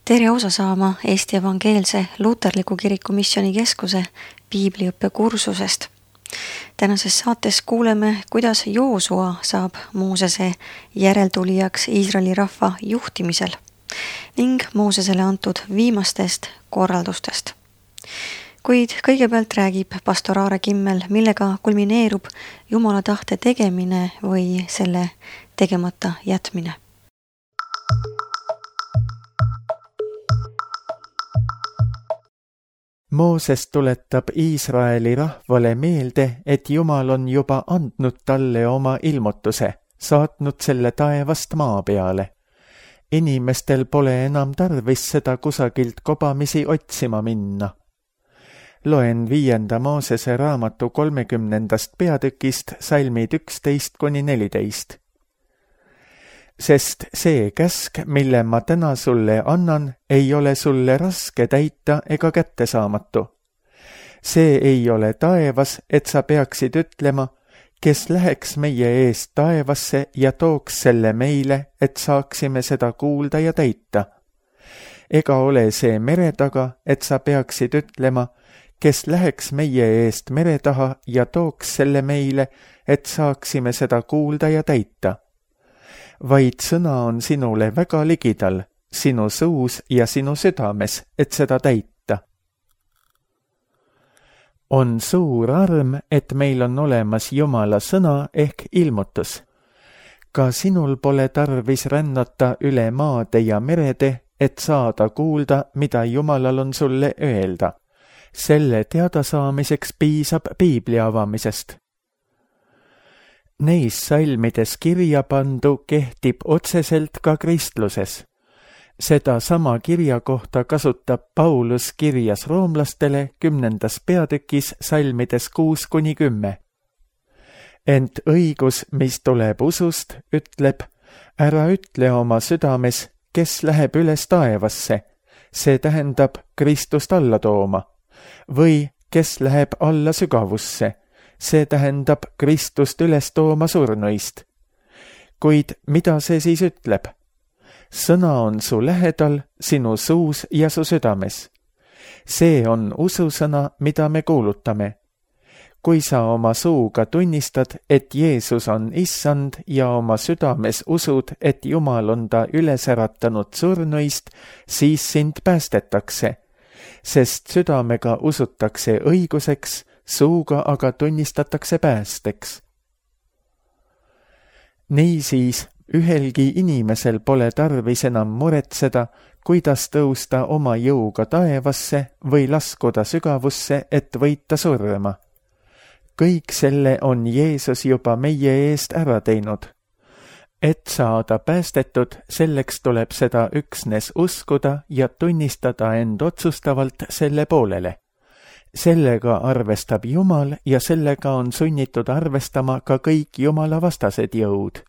Tere osa saama Eesti Evangeelse Luterliku Kiriku Missioonikeskuse piibliõppe kursusest. Tänases saates kuuleme, kuidas Joosua saab Moosese järeltulijaks Iisraeli rahva juhtimisel ning Moosesele antud viimastest korraldustest. Kuid kõigepealt räägib pastor Aare Kimmel, millega kulmineerub Jumala tahte tegemine või selle tegemata jätmine. Mooses tuletab Iisraeli rahvale meelde, et Jumal on juba andnud talle oma ilmutuse, saatnud selle taevast maa peale. Inimestel pole enam tarvis seda kusagilt kobamisi otsima minna. Loen 5. Moosese raamatu 30. peatükist salmid 11-14. Sest see käsk, mille ma täna sulle annan, ei ole sulle raske täita ega kättesaamatu. See ei ole taevas, et sa peaksid ütlema, kes läheks meie eest taevasse ja tooks selle meile, et saaksime seda kuulda ja täita. Ega ole see mere taga, et sa peaksid ütlema, kes läheks meie eest mere taha ja tooks selle meile, et saaksime seda kuulda ja täita. Vaid sõna on sinule väga ligidal, sinu suus ja sinu südames, et seda täita. On suur arm, et meil on olemas Jumala sõna ehk ilmutus. Ka sinul pole tarvis rännata üle maade ja merede, et saada kuulda, mida Jumalal on sulle öelda. Selle teadasaamiseks piisab piibli avamisest. Neis salmides kirja pandu kehtib otseselt ka kristluses. Seda sama kirja kohta kasutab Paulus kirjas roomlastele 10. peatükis salmides 6-10. Ent õigus, mis tuleb usust, ütleb, ära ütle oma südames, kes läheb üles taevasse, see tähendab Kristust alla tooma, või kes läheb alla sügavusse, see tähendab Kristust üles tooma surnuist. Kuid mida see siis ütleb? Sõna on su lähedal, sinu suus ja su südames. See on ususõna, mida me kuulutame. Kui sa oma suuga tunnistad, et Jeesus on issand ja oma südames usud, et Jumal on ta üles äratanud surnuist, siis sind päästetakse, sest südamega usutakse õiguseks, suuga aga tunnistatakse päästeks. Niisiis, ühelgi inimesel pole tarvis enam muretseda, kuidas tõusta oma jõuga taevasse või laskuda sügavusse, et võita surma. Kõik selle on Jeesus juba meie eest ära teinud. Et saada päästetud, selleks tuleb seda üksnes uskuda ja tunnistada end otsustavalt selle poolele. Sellega arvestab Jumal ja sellega on sunnitud arvestama ka kõik Jumala vastased jõud.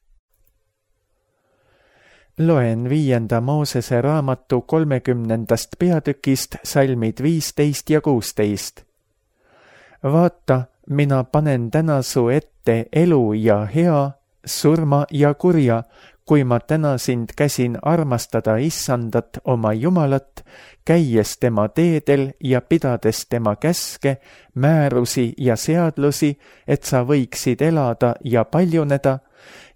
Loen 5. Moosese raamatu 30. peatükist salmid 15 ja 16. Vaata, mina panen täna su ette elu ja hea, surma ja kurja, kui ma täna sind käsin armastada issandat oma Jumalat, käies tema teedel ja pidades tema käske, määrusi ja seadlusi, et sa võiksid elada ja paljuneda,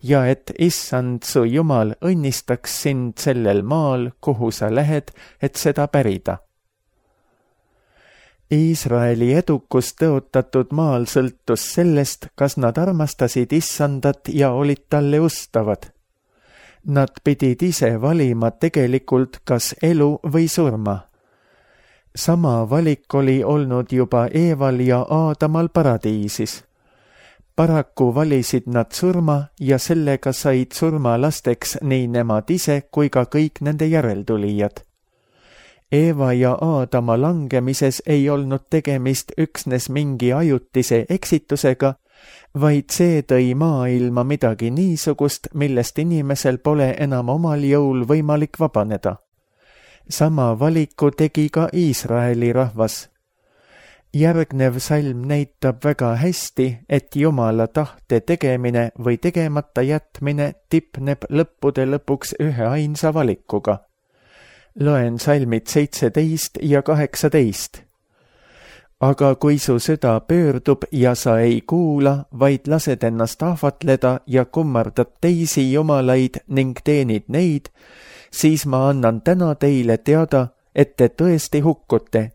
ja et issand su Jumal õnnistaks sind sellel maal, kuhu sa lähed, et seda pärida. Iisraeli edukus tõotatud maal sõltus sellest, kas nad armastasid issandat ja olid talle ustavad. Nad pidid ise valima tegelikult kas elu või surma. Sama valik oli olnud juba Eeval ja Aadamal paradiisis. Paraku valisid nad surma ja sellega said surmalasteks nii nemad ise kui ka kõik nende järeltulijad. Eeva ja Aadama langemises ei olnud tegemist üksnes mingi ajutise eksitusega, vaid see tõi maailma midagi niisugust, millest inimesel pole enam omal jõul võimalik vabaneda. Sama valiku tegi ka Iisraeli rahvas. Järgnev salm näitab väga hästi, et Jumala tahte tegemine või tegemata jätmine tipneb lõppude lõpuks ühe ainsa valikuga. Loen salmid 17 ja 18. Aga kui su süda pöördub ja sa ei kuula, vaid lased ennast ahvatleda ja kummardad teisi jumalaid ning teenid neid, siis ma annan täna teile teada, et te tõesti hukkute.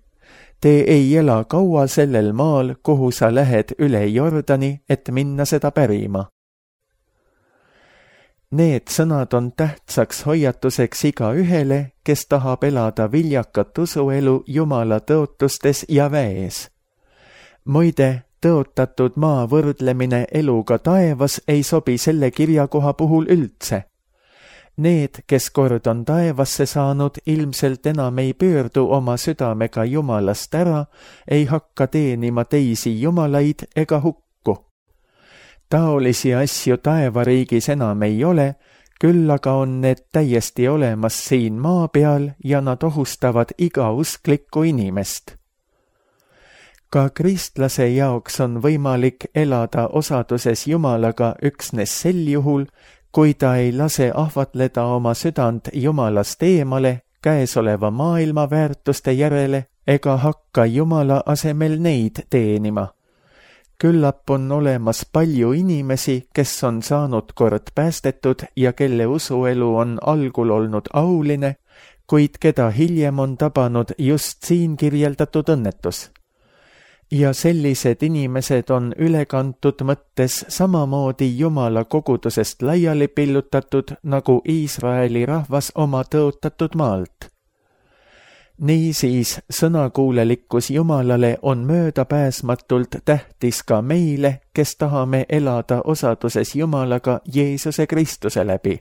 Te ei ela kaua sellel maal, kuhu sa lähed üle Jordani, et minna seda pärima. Need sõnad on tähtsaks hoiatuseks igaühele, kes tahab elada viljakat usuelu Jumala tõotustes ja väes. Muide, tõotatud maa võrdlemine eluga taevas ei sobi selle kirjakoha puhul üldse. Need, kes kord on taevasse saanud, ilmselt enam ei pöördu oma südamega Jumalast ära, ei hakka teenima teisi jumalaid ega hukku. Taolisi asju taevariigis enam ei ole, küll aga on need täiesti olemas siin maa peal ja nad ohustavad iga usklikku inimest. Ka kristlase jaoks on võimalik elada osaduses Jumalaga üksnes sel juhul, kui ta ei lase ahvatleda oma südant Jumalast eemale käesoleva maailma väärtuste järele ega hakka Jumala asemel neid teenima. Küllap on olemas palju inimesi, kes on saanud kord päästetud ja kelle usuelu on algul olnud auline, kuid keda hiljem on tabanud just siin kirjeldatud õnnetus. Ja sellised inimesed on ülekantud mõttes samamoodi Jumala kogudusest laiali pillutatud, nagu Iisraeli rahvas oma tõotatud maalt. Niisiis, sõnakuulelikkus Jumalale on möödapääsmatult tähtis ka meile, kes tahame elada osaduses Jumalaga Jeesuse Kristuse läbi.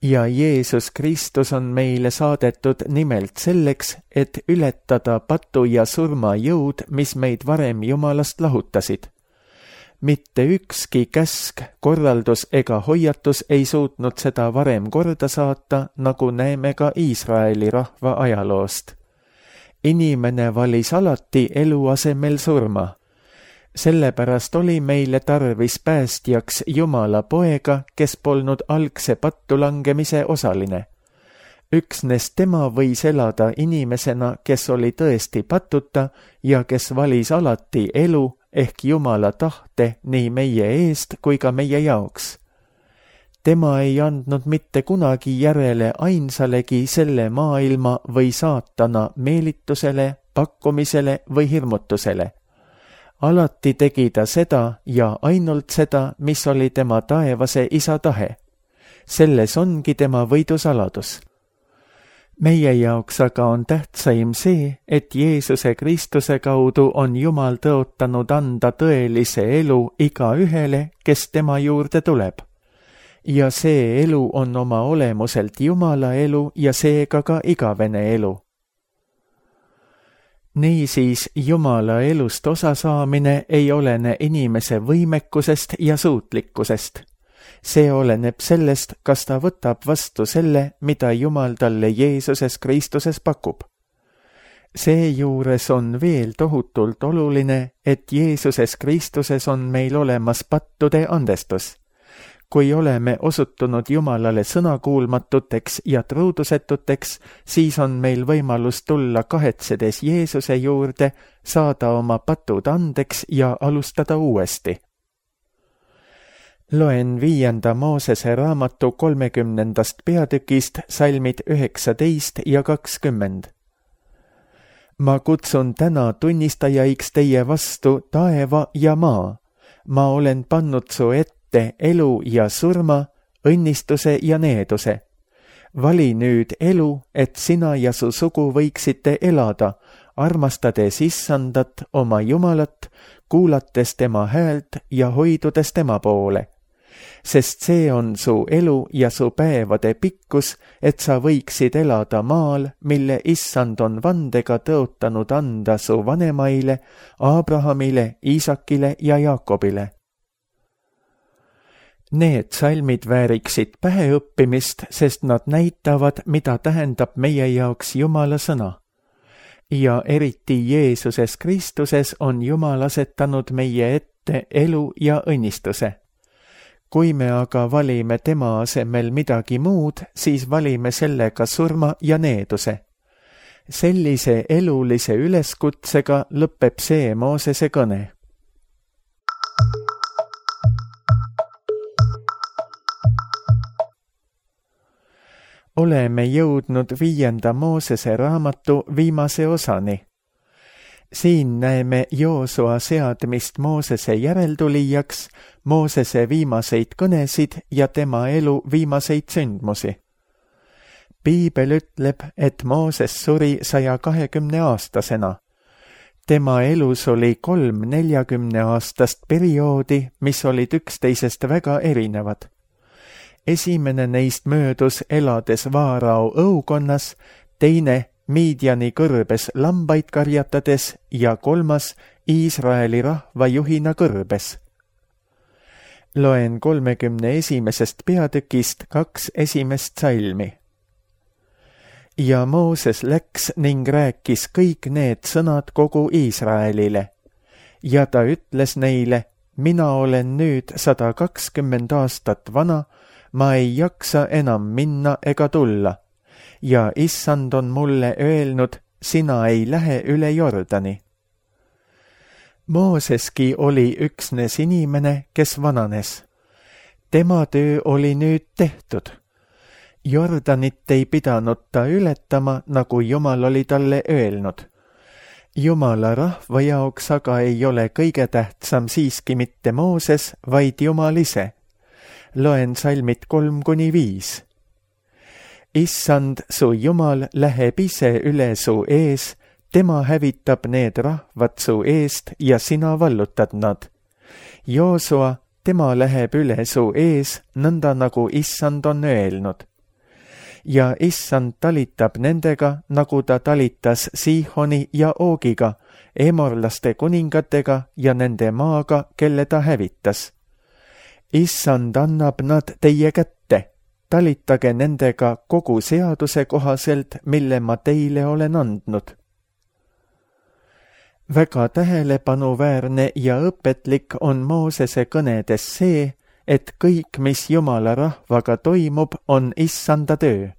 Ja Jeesus Kristus on meile saadetud nimelt selleks, et ületada patu ja surma jõud, mis meid varem Jumalast lahutasid. Mitte ükski käsk, korraldus ega hoiatus ei suutnud seda varem korda saata, nagu näeme ka Iisraeli rahva ajaloost. Inimene valis alati elu asemel surma. Sellepärast oli meile tarvis päästjaks Jumala poega, kes polnud algse pattu langemise osaline. Üksnes tema võis elada inimesena, kes oli tõesti patuta ja kes valis alati elu, ehk Jumala tahte nii meie eest kui ka meie jaoks. Tema ei andnud mitte kunagi järele ainsalegi selle maailma või saatana meelitusele, pakkumisele või hirmutusele. Alati tegi ta seda ja ainult seda, mis oli tema taevase isa tahe. Selles ongi tema võidusaladus. Meie jaoks aga on tähtsaim see, et Jeesuse Kristuse kaudu on Jumal tõotanud anda tõelise elu igaühele, kes tema juurde tuleb. Ja see elu on oma olemuselt Jumala elu ja seega ka igavene elu. Niisiis, Jumala elust osa saamine ei olene inimese võimekusest ja suutlikkusest. See oleneb sellest, kas ta võtab vastu selle, mida Jumal talle Jeesuses Kristuses pakub. Seejuures on veel tohutult oluline, et Jeesuses Kristuses on meil olemas pattude andestus. Kui oleme osutunud Jumalale sõnakuulmatuteks ja truudusetuteks, siis on meil võimalus tulla kahetsedes Jeesuse juurde, saada oma patud andeks ja alustada uuesti. Loen 5. Moosese raamatu 30. peatükist salmid 19 ja 20. Ma kutsun täna tunnistajaiks teie vastu taeva ja maa. Ma olen pannud su ette elu ja surma, õnnistuse ja needuse. Vali nüüd elu, et sina ja su sugu võiksite elada, armastades Issandat, oma Jumalat, kuulates tema häält ja hoidudes tema poole. Sest see on su elu ja su päevade pikkus, et sa võiksid elada maal, mille Issand on vandega tõotanud anda su vanemaile, Abrahamile, Iisakile ja Jaakobile. Need salmid vääriksid päheõppimist, sest nad näitavad, mida tähendab meie jaoks Jumala sõna. Ja eriti Jeesuses Kristuses on Jumal asetanud meie ette elu ja õnnistuse. Kui me aga valime tema asemel midagi muud, siis valime sellega surma ja needuse. Sellise elulise üleskutsega lõpeb see Moosese kõne. Oleme jõudnud 5. Moosese raamatu viimase osani. Siin näeme Joosua seadmist Moosese järeltulijaks, Moosese viimaseid kõnesid ja tema elu viimaseid sündmusi. Piibel ütleb, et Mooses suri 120-aastasena. Tema elus oli 3 40-aastast perioodi, mis olid üksteisest väga erinevad. Esimene neist möödus elades Vaarao õukonnas, teine Midiani kõrbes lambaid karjatades ja 3. Iisraeli rahva juhina kõrbes. Loen 31. peatükist 2 esimest salmi. Ja Mooses läks ning rääkis kõik need sõnad kogu Iisraelile. Ja ta ütles neile, mina olen nüüd 120 aastat vana, ma ei jaksa enam minna ega tulla. Ja issand on mulle öelnud, sina ei lähe üle Jordani. Mooseski oli üksnes inimene, kes vananes. Tema töö oli nüüd tehtud. Jordanit ei pidanud ta ületama, nagu Jumal oli talle öelnud. Jumala rahva jaoks aga ei ole kõige tähtsam siiski mitte Mooses, vaid Jumal ise. Loen salmid 3-5. Issand, su Jumal läheb ise üle su ees, tema hävitab need rahvad su eest ja sina vallutad nad. Joosua, tema läheb üle su ees, nõnda nagu issand on öelnud. Ja issand talitab nendega, nagu ta talitas Siihoni ja Oogiga, emorlaste kuningatega ja nende maaga, kelle ta hävitas. Issand annab nad teie kätte. Talitage nendega kogu seaduse kohaselt, mille ma teile olen andnud. Väga tähelepanuväärne ja õpetlik on Moosese kõnedes see, et kõik, mis Jumala rahvaga toimub, on issanda töö.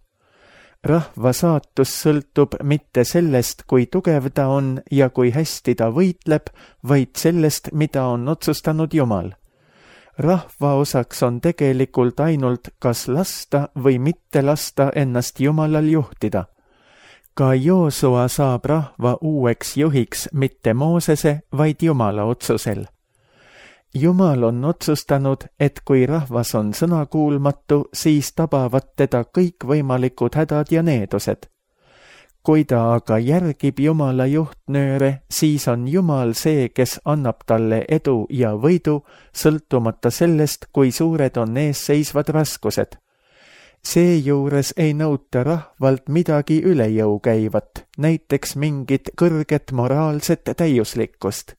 Rahva saatus sõltub mitte sellest, kui tugev ta on ja kui hästi ta võitleb, vaid sellest, mida on otsustanud Jumal. Rahva osaks on tegelikult ainult kas lasta või mitte lasta ennast Jumalal juhtida. Ka Joosua saab rahva uueks juhiks mitte Moosese, vaid Jumala otsusel. Jumal on otsustanud, et kui rahvas on sõnakuulmatu, siis tabavad teda kõikvõimalikud hädad ja needused. Kui ta aga järgib Jumala juhtnööre, siis on Jumal see, kes annab talle edu ja võidu, sõltumata sellest, kui suured on eesseisvad raskused. Seejuures ei nõuta rahvalt midagi üle jõu käivat, näiteks mingit kõrget moraalset täiuslikkust.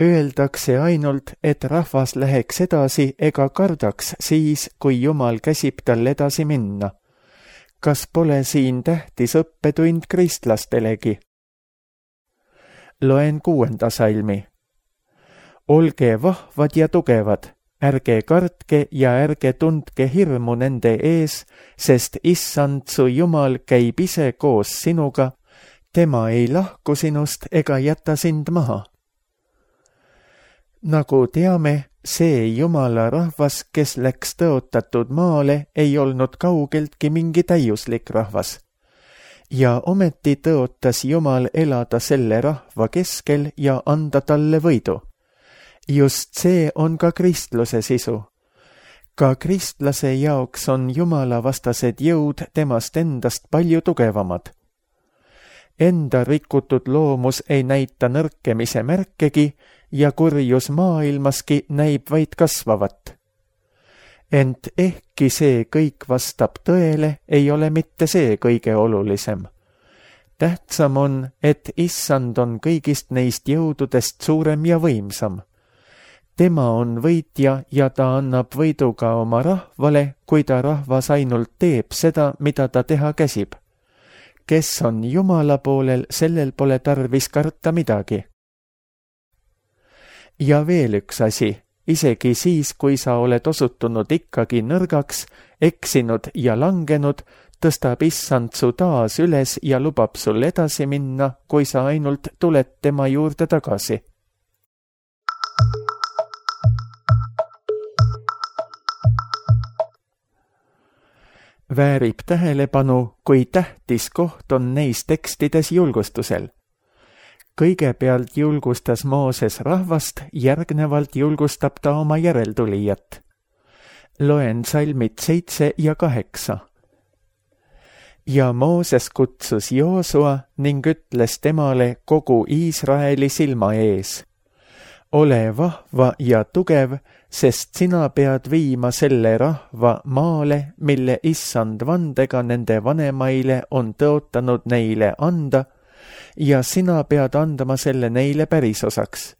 Öeldakse ainult, et rahvas läheks edasi ega kardaks siis, kui Jumal käsib tal edasi minna. Kas pole siin tähtis õppetund kristlastelegi? Loen 6. salmi. Olge vahvad ja tugevad, ärge kartke ja ärge tundke hirmu nende ees, sest issand su Jumal käib ise koos sinuga, tema ei lahku sinust ega jäta sind maha. Nagu teame, see Jumala rahvas, kes läks tõotatud maale, ei olnud kaugeltki mingi täiuslik rahvas. Ja ometi tõotas Jumal elada selle rahva keskel ja anda talle võidu. Just see on ka kristluse sisu. Ka kristlase jaoks on Jumala vastased jõud temast endast palju tugevamad. Enda rikutud loomus ei näita nõrkemise märkegi ja kurjus maailmaski näib vaid kasvavat. Ent ehkki see kõik vastab tõele, ei ole mitte see kõige olulisem. Tähtsam on, et issand on kõigist neist jõududest suurem ja võimsam. Tema on võitja ja ta annab võidu ka oma rahvale, kui ta rahvas ainult teeb seda, mida ta teha käsib. Kes on Jumala poolel, sellel pole tarvis karta midagi. Ja veel üks asi, isegi siis, kui sa oled osutunud ikkagi nõrgaks, eksinud ja langenud, tõstab Issand su taas üles ja lubab sul edasi minna, kui sa ainult tuled tema juurde tagasi. Väärib tähelepanu, kui tähtis koht on neis tekstides julgustusel. Kõigepealt julgustas Mooses rahvast, järgnevalt julgustab ta oma järeltulijat. Loen salmid 7 ja 8. Ja Mooses kutsus Joosua ning ütles temale kogu Iisraeli silma ees. Ole vahva ja tugev, sest sina pead viima selle rahva maale, mille Issand vandega nende vanemaile on tõotanud neile anda, ja sina pead andma selle neile pärisosaks.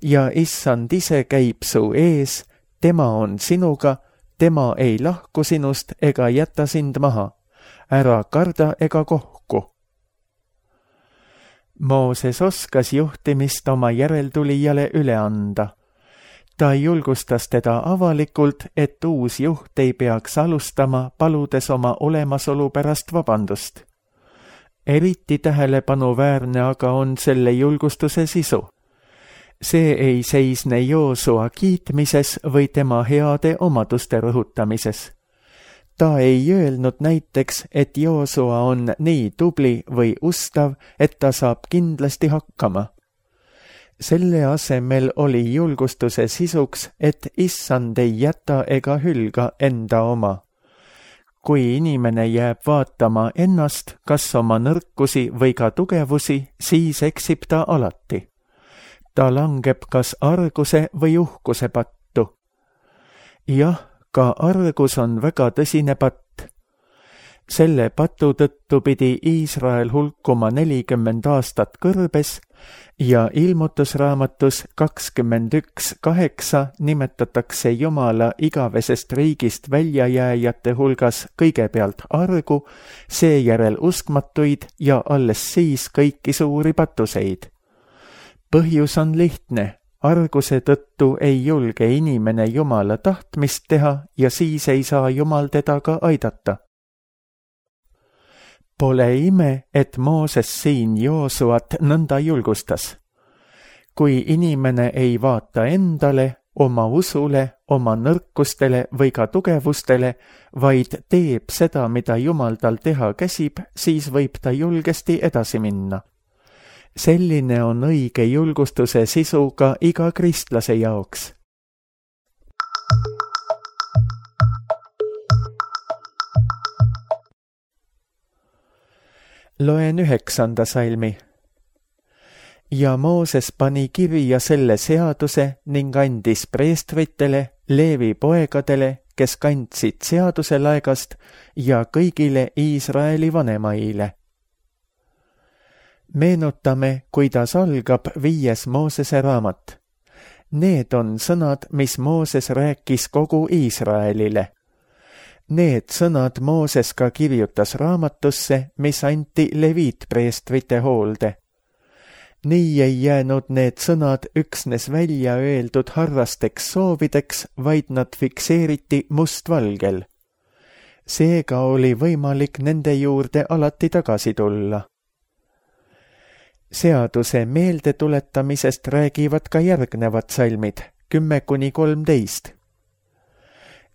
Ja Issand ise käib su ees, tema on sinuga, tema ei lahku sinust ega jäta sind maha. Ära karda ega kohku. Mooses oskas juhtimist oma järeltulijale üle anda. Ta julgustas teda avalikult, et uus juht ei peaks alustama, paludes oma olemasolu pärast vabandust. Eriti tähelepanuväärne aga on selle julgustuse sisu. See ei seisne Joosua kiitmises või tema heade omaduste rõhutamises. Ta ei öelnud näiteks, et Joosua on nii tubli või ustav, et ta saab kindlasti hakkama. Selle asemel oli julgustuse sisuks, et Issand ei jäta ega hülga enda oma. Kui inimene jääb vaatama ennast, kas oma nõrkusi või ka tugevusi, siis eksib ta alati. Ta langeb kas arguse või uhkuse pattu. Jah, ka argus on väga tõsine patt. Selle patu tõttu pidi Iisrael hulkuma 40 aastat kõrbes ja ilmutusraamatus 21:8 nimetatakse Jumala igavesest riigist väljajääjate hulgas kõigepealt argu, seejärel uskmatuid ja alles siis kõiki suuri patuseid. Põhjus on lihtne. Arguse tõttu ei julge inimene Jumala tahtmist teha ja siis ei saa Jumal teda ka aidata. Pole ime, et Mooses siin Joosuat nõnda julgustas. Kui inimene ei vaata endale, oma usule, oma nõrkustele või ka tugevustele, vaid teeb seda, mida Jumal tal teha käsib, siis võib ta julgesti edasi minna. Selline on õige julgustuse sisu ka iga kristlase jaoks. Loen 9. salmi. Ja Mooses pani kirja selle seaduse ning andis preestritele, Leevi poegadele, kes kandsid seaduse laegast ja kõigile Iisraeli vanemaile. Meenutame, kuidas algab 5. Moosese raamat. Need on sõnad, mis Mooses rääkis kogu Iisraelile. Need sõnad Mooses ka kirjutas raamatusse, mis anti leviitpreestrite hoolde. Nii ei jäänud need sõnad üksnes välja öeldud harrasteks soovideks, vaid nad fikseeriti mustvalgel. Seega oli võimalik nende juurde alati tagasi tulla. Seaduse meeldetuletamisest räägivad ka järgnevad salmid, 10-13.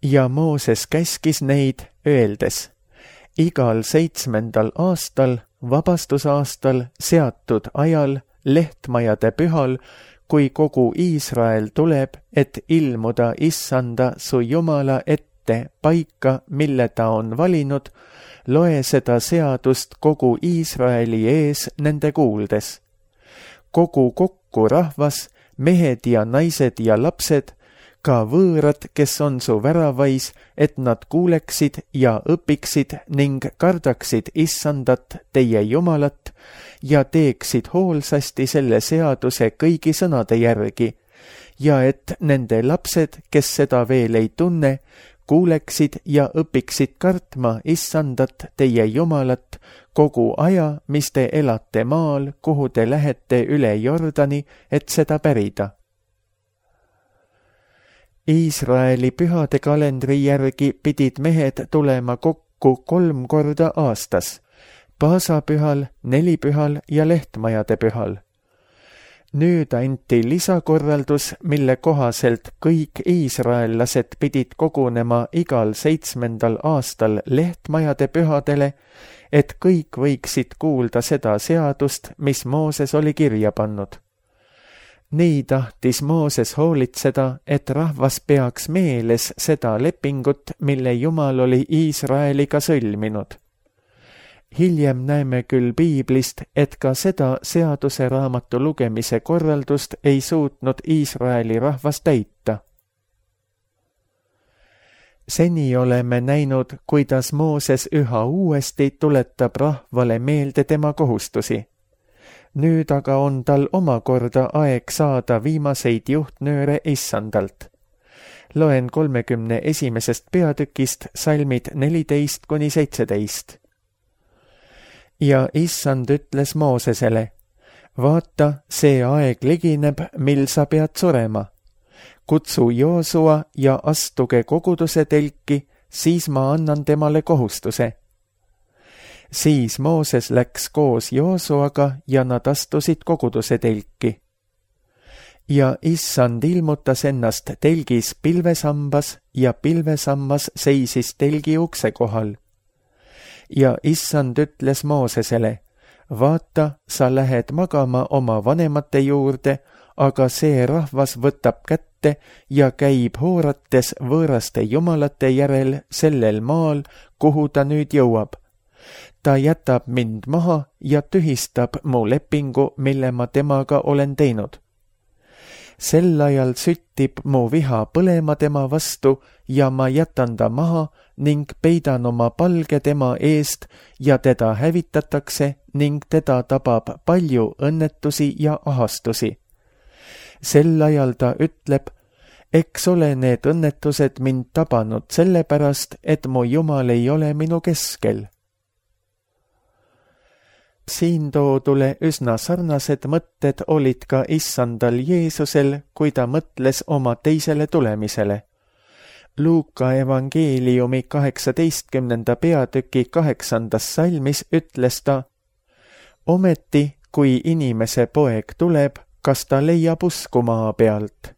Ja Mooses käskis neid, öeldes, igal 7. aastal, vabastusaastal, seatud ajal, lehtmajade pühal, kui kogu Iisrael tuleb, et ilmuda Issanda su Jumala ette paika, mille ta on valinud, loe seda seadust kogu Iisraeli ees nende kuuldes. Kogu kokku rahvas, mehed ja naised ja lapsed, ka võõrad, kes on su väravais, et nad kuuleksid ja õpiksid ning kardaksid Issandat, teie Jumalat, ja teeksid hoolsasti selle seaduse kõigi sõnade järgi, ja et nende lapsed, kes seda veel ei tunne, kuuleksid ja õpiksid kartma Issandat, teie Jumalat, kogu aja, mis te elate maal, kuhu te lähete üle Jordani, et seda pärida. Iisraeli pühade kalendri järgi pidid mehed tulema kokku 3 korda aastas, paasapühal, nelipühal ja lehtmajade pühal. Nüüd anti lisakorraldus, mille kohaselt kõik iisraellased pidid kogunema igal 7. aastal lehtmajade pühadele, et kõik võiksid kuulda seda seadust, mis Mooses oli kirja pannud. Nii tahtis Mooses hoolitseda, et rahvas peaks meeles seda lepingut, mille Jumal oli Iisraeliga sõlminud. Hiljem näeme küll piiblist, et ka seda seaduse raamatu lugemise korraldust ei suutnud Iisraeli rahvas täita. Seni oleme näinud, kuidas Mooses üha uuesti tuletab rahvale meelde tema kohustusi. Nüüd aga on tal omakorda aeg saada viimaseid juhtnööre Issandalt. Loen 31. peatükist salmid 14-17. Ja Issand ütles Moosesele, vaata, see aeg ligineb, mil sa pead surema. Kutsu Joosua ja astuge koguduse telki, siis ma annan temale kohustuse. Siis Mooses läks koos Joosuaga ja nad astusid koguduse telki. Ja Issand ilmutas ennast telgis pilvesambas ja pilvesammas seisis telgi ukse kohal. Ja Issand ütles Moosesele, vaata, sa lähed magama oma vanemate juurde, aga see rahvas võtab kätte ja käib hoorates võõraste jumalate järel sellel maal, kuhu ta nüüd jõuab. Ta jätab mind maha ja tühistab mu lepingu, mille ma temaga olen teinud. Sel ajal süttib mu viha põlema tema vastu ja ma jätan ta maha ning peidan oma palge tema eest ja teda hävitatakse ning teda tabab palju õnnetusi ja ahastusi. Sel ajal ta ütleb, eks ole need õnnetused mind tabanud sellepärast, et mu Jumal ei ole minu keskel. Siin toodule üsna sarnased mõtted olid ka Issandal Jeesusel, kui ta mõtles oma teisele tulemisele. Luuka evangeeliumi 18. peatüki 8. salmis ütles ta, ometi, kui inimese poeg tuleb, kas ta leiab usku maa pealt?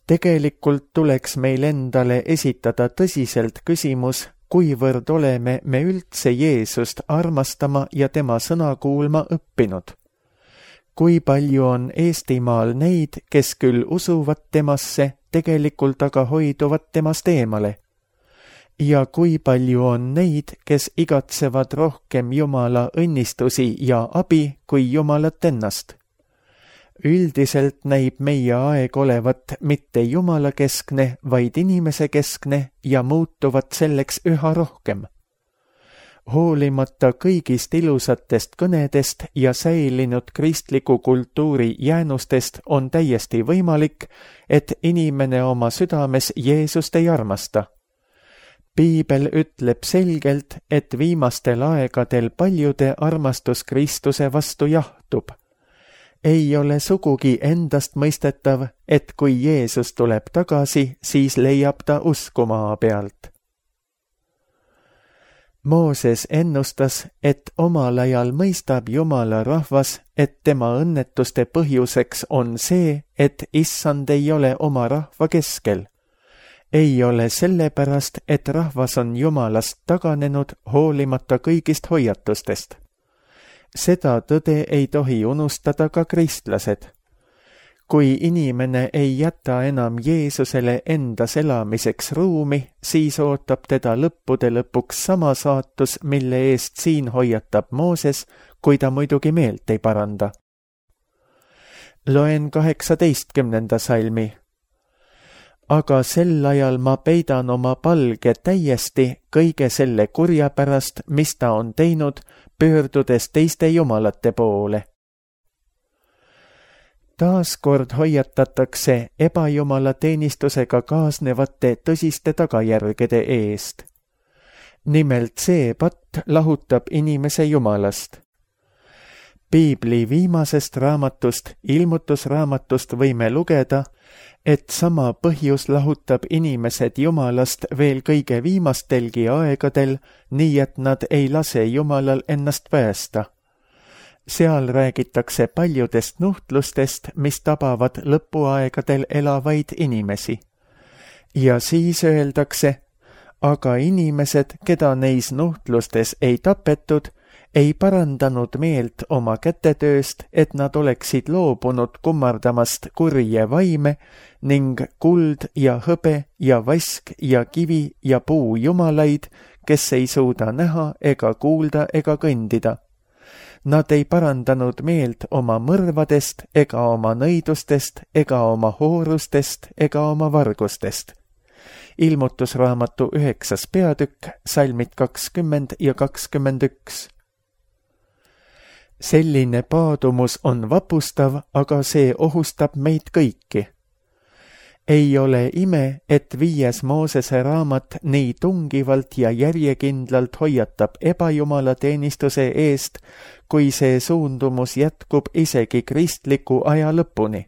Tegelikult tuleks meil endale esitada tõsiselt küsimus, kuivõrd oleme me üldse Jeesust armastama ja tema sõna kuulma õppinud. Kui palju on Eestimaal neid, kes küll usuvad temasse, tegelikult aga hoiduvad temast eemale? Ja kui palju on neid, kes igatsevad rohkem Jumala õnnistusi ja abi kui Jumalat ennast? Üldiselt näib meie aeg olevat mitte Jumala keskne, vaid inimese keskne ja muutuvad selleks üha rohkem. Hoolimata kõigist ilusatest kõnedest ja säilinud kristliku kultuuri jäänustest on täiesti võimalik, et inimene oma südames Jeesust ei armasta. Piibel ütleb selgelt, et viimastel aegadel paljude armastus Kristuse vastu jahtub. Ei ole sugugi endast mõistetav, et kui Jeesus tuleb tagasi, siis leiab ta usku maa pealt. Mooses ennustas, et omal ajal mõistab Jumala rahvas, et tema õnnetuste põhjuseks on see, et Issand ei ole oma rahva keskel. Ei ole sellepärast, et rahvas on Jumalast taganenud hoolimata kõigist hoiatustest. Seda tõde ei tohi unustada ka kristlased. Kui inimene ei jäta enam Jeesusele endas elamiseks ruumi, siis ootab teda lõppude lõpuks sama saatus, mille eest siin hoiatab Mooses, kui ta muidugi meelt ei paranda. Loen 18. salmi. Aga sel ajal ma peidan oma palge täiesti kõige selle kurja pärast, mis ta on teinud, pöördudes teiste jumalate poole. Taaskord hoiatatakse ebajumala teenistusega kaasnevate tõsiste tagajärgede eest. Nimelt see patt lahutab inimese Jumalast. Piibli viimasest raamatust, Ilmutusraamatust võime lugeda, et sama põhjus lahutab inimesed Jumalast veel kõige viimastelgi aegadel, nii et nad ei lase Jumalal ennast päästa. Seal räägitakse paljudest nuhtlustest, mis tabavad lõpuaegadel elavaid inimesi. Ja siis öeldakse, aga inimesed, keda neis nuhtlustes ei tapetud, ei parandanud meelt oma kätetööst, et nad oleksid loobunud kummardamast kurje vaime ning kuld ja hõbe ja vask ja kivi ja puu jumalaid, kes ei suuda näha ega kuulda ega kõndida. Nad ei parandanud meelt oma mõrvadest ega oma nõidustest ega oma hoorustest ega oma vargustest. Ilmutusraamatu 9. peatükk, salmid 20 ja 21. Selline paadumus on vapustav, aga see ohustab meid kõiki. Ei ole ime, et 5. Moosese raamat nii tungivalt ja järjekindlalt hoiatab ebajumala teenistuse eest, kui see suundumus jätkub isegi kristliku aja lõpuni.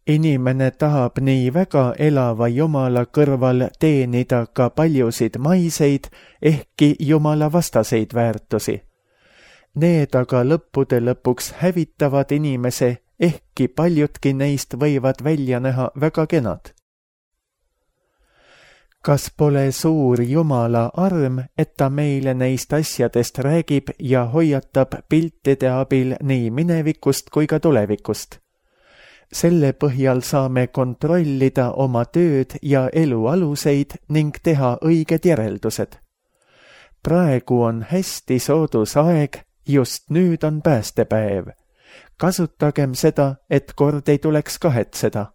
Inimene tahab nii väga elava Jumala kõrval teenida ka paljusid maiseid, ehkki Jumala vastaseid väärtusi. Need aga lõppude lõpuks hävitavad inimese, ehkki paljudki neist võivad välja näha väga kenad. Kas pole suur Jumala arm, et ta meile neist asjadest räägib ja hoiatab piltide abil nii minevikust kui ka tulevikust? Selle põhjal saame kontrollida oma tööd ja elu aluseid ning teha õiged järeldused. Praegu on hästi soodus aeg, just nüüd on päästepäev. Kasutagem seda, et kord ei tuleks kahetseda.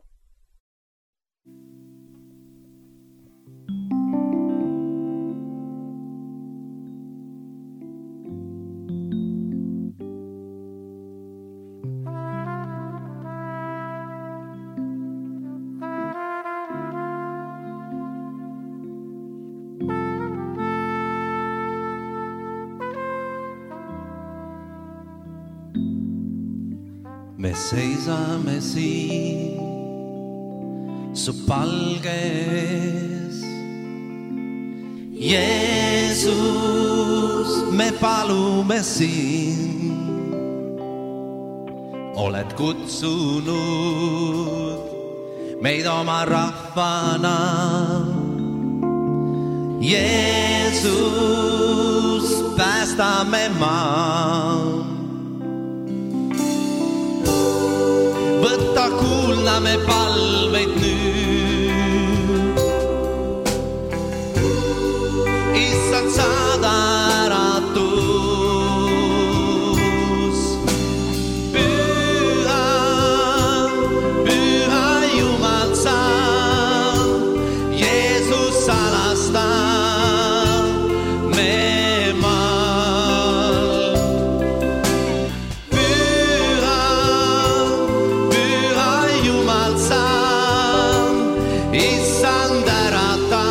Me seisame siin su palge ees. Jeesus, me palume siin. Oled kutsunud meid oma rahvana. Jeesus, päästame maa. Võtta kuulda me palveid nüüd. Issand, saada äratus. Püha, püha Jumal sa, Jeesus salasta me maal. Issand ärata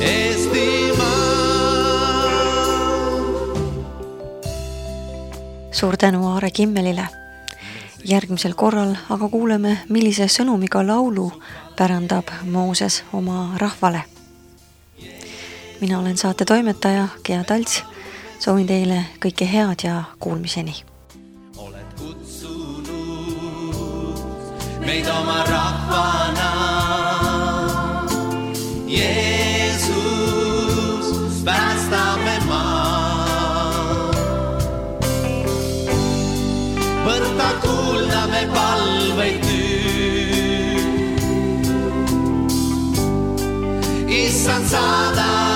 Eestimaa. Suur tänu Aare Kimmelile. Järgmisel korral aga kuuleme, millise sõnumiga laulu pärandab Mooses oma rahvale. Mina olen saate toimetaja Gea Talts. Soovin teile kõike head ja kuulmiseni. Oled kutsunud meid oma rahvana. Jeesus, päästame maa. Võtta kuulda me palveid nüüd. Issand, saada